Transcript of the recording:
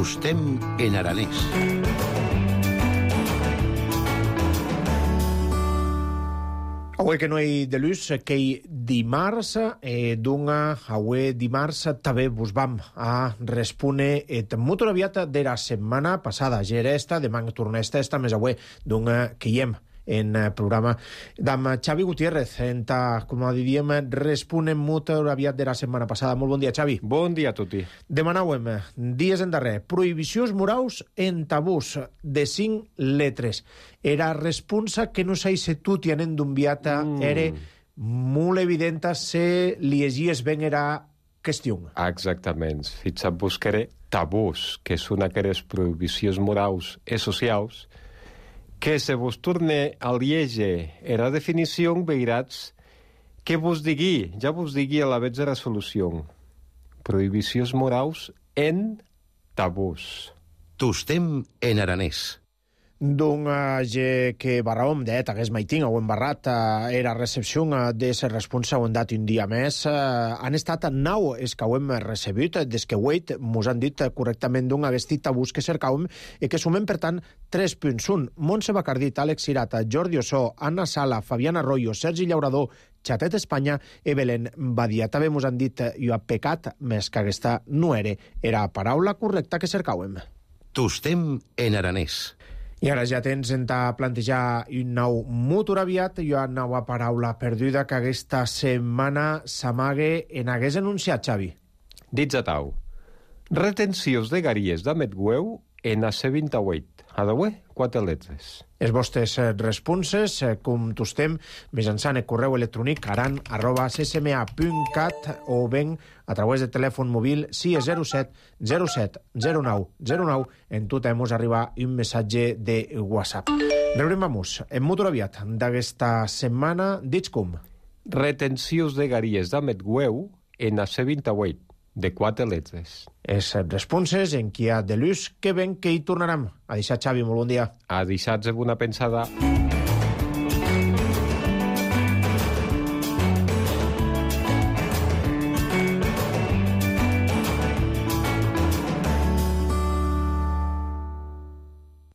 Tostem en aranès. Avui que no hi de luz, que hi dimarts, avui dimarts també vos vam a respondre molt aviat de la setmana passada. Ja era esta, demà torna esta més avui que hi hem en programa d'amb Xavi Gutiérrez, com diríem, responem molt aviat de la setmana passada. Molt bon dia, Xavi. Bon dia a tutti. Demanàvem, dies en darrer, prohibicions morals en tabús de 5 letres. Era responsa que no sé si tu tienen d'enviata era molt evidenta se llegies ben era qüestió. Exactament. Fins a buscaré tabús, que són aquelles prohibicions morals i socials que se vos torne a lieger era definició, veuràs que vos digui, ja vos digui a la vez de resolució. Prohibicions morals en tabús. Tostem en aranès. Que barraom hagués maiting o embarrat era recepció de ser responsa o dat un dia més. Han estat 9 és que ho hem recebut des que mos han dit correctament aquest tabús que cercàvem i que sumem, per tant, 3 punts. Montse Bacardit, Àlex Cirata, Jordi Ossó, Anna Sala, Fabián Arroyo, Sergi Llaurador, Xatet Espanya i Belén Badia. També mos han dit jo ha pecat més que aquesta no era la paraula correcta que cercàvem. Tostem en aranès. I ara ja tens en plantejar un nou molt aviat i una nova paraula perduda que aquesta setmana s'amague en hagués anunciat, Xavi. Dits a tau. Retencions de garies d'Ametgueu en AC28. A d'avui, 4 letres. Els vostres responses, com tostem, mitjançant el correu electrònic aran@ccma.cat o ben a través de telèfon mòbil 607 07 09 09. En tot hemos arribar un missatge de WhatsApp. Veurem en molt aviat d'aquesta setmana. Dits com? Retencions de garies d'Ametgueu en AC28. De 4 letres. És responses en qui ha de l'ús que ben que hi tornarem. A deixar, Xavi, molt bon dia. A deixar-vos una pensada.